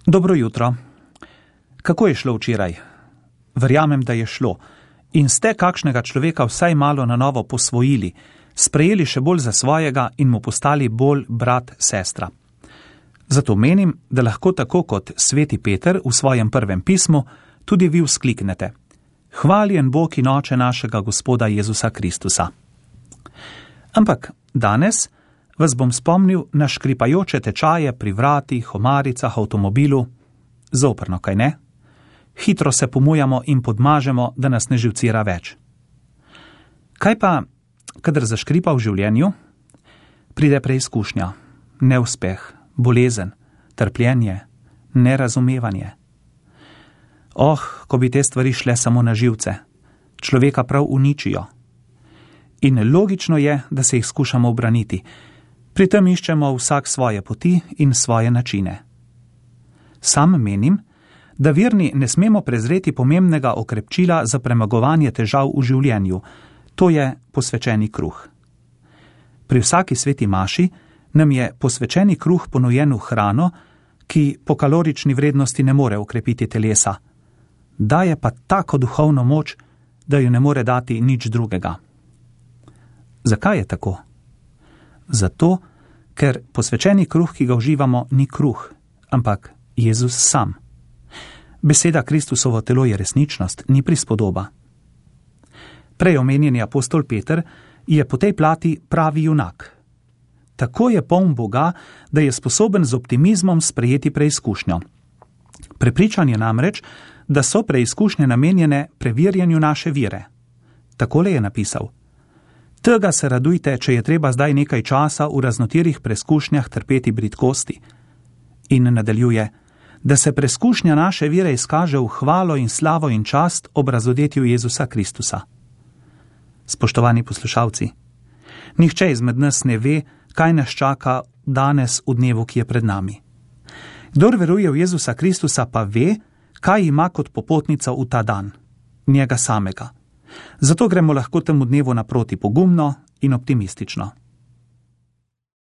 Dobro jutro. Kako je šlo včeraj? Verjamem, da je šlo. In ste kakšnega človeka vsaj malo na novo posvojili, sprejeli še bolj za svojega in mu postali bolj brat, sestra. Zato menim, da lahko tako kot sveti Peter v svojem prvem pismu tudi vi vzkliknete: Hvaljen Bog in Oče našega Gospoda Jezusa Kristusa. Ampak danes vas bom spomnil na škripajoče tečaje pri vratih, omaricah, avtomobilu. Zoprno, kaj ne? Hitro se pomujamo in podmažemo, da nas ne živcira več. Kaj pa, kadar zaškripa v življenju? Pride preizkušnja, neuspeh, bolezen, trpljenje, nerazumevanje. Ko bi te stvari šle samo na živce, človeka prav uničijo. In logično je, da se jih skušamo ubraniti. Pri tem iščemo vsak svoje poti in svoje načine. Sam menim, da verni ne smemo prezreti pomembnega okrepčila za premagovanje težav v življenju, to je posvečeni kruh. Pri vsaki sveti maši nam je posvečeni kruh ponujen v hrano, ki po kalorični vrednosti ne more okrepiti telesa. Daje pa tako duhovno moč, da jo ne more dati nič drugega. Zakaj je tako? Zato, ker posvečeni kruh, ki ga uživamo, ni kruh, ampak Jezus sam. Beseda Kristusovo telo je resničnost, ni prispodoba. Prej omenjeni apostol Peter je po tej plati pravi junak. Tako je poln Boga, da je sposoben z optimizmom sprejeti preizkušnjo. Prepričan je namreč, da so preizkušnje namenjene preverjanju naše vere. Takole je napisal: Tega se radujte, če je treba zdaj nekaj časa v raznotirih preizkušnjah trpeti bridkosti. In nadaljuje: da se preizkušnja naše vere izkaže v hvalo in slavo in čast ob razodetju Jezusa Kristusa. Spoštovani poslušalci, nihče izmed nas ne ve, kaj nas čaka danes v dnevu, ki je pred nami. Kdor veruje v Jezusa Kristusa, pa ve, kaj ima kot popotnica v ta dan, njega samega. Zato gremo lahko temu dnevu naproti pogumno in optimistično.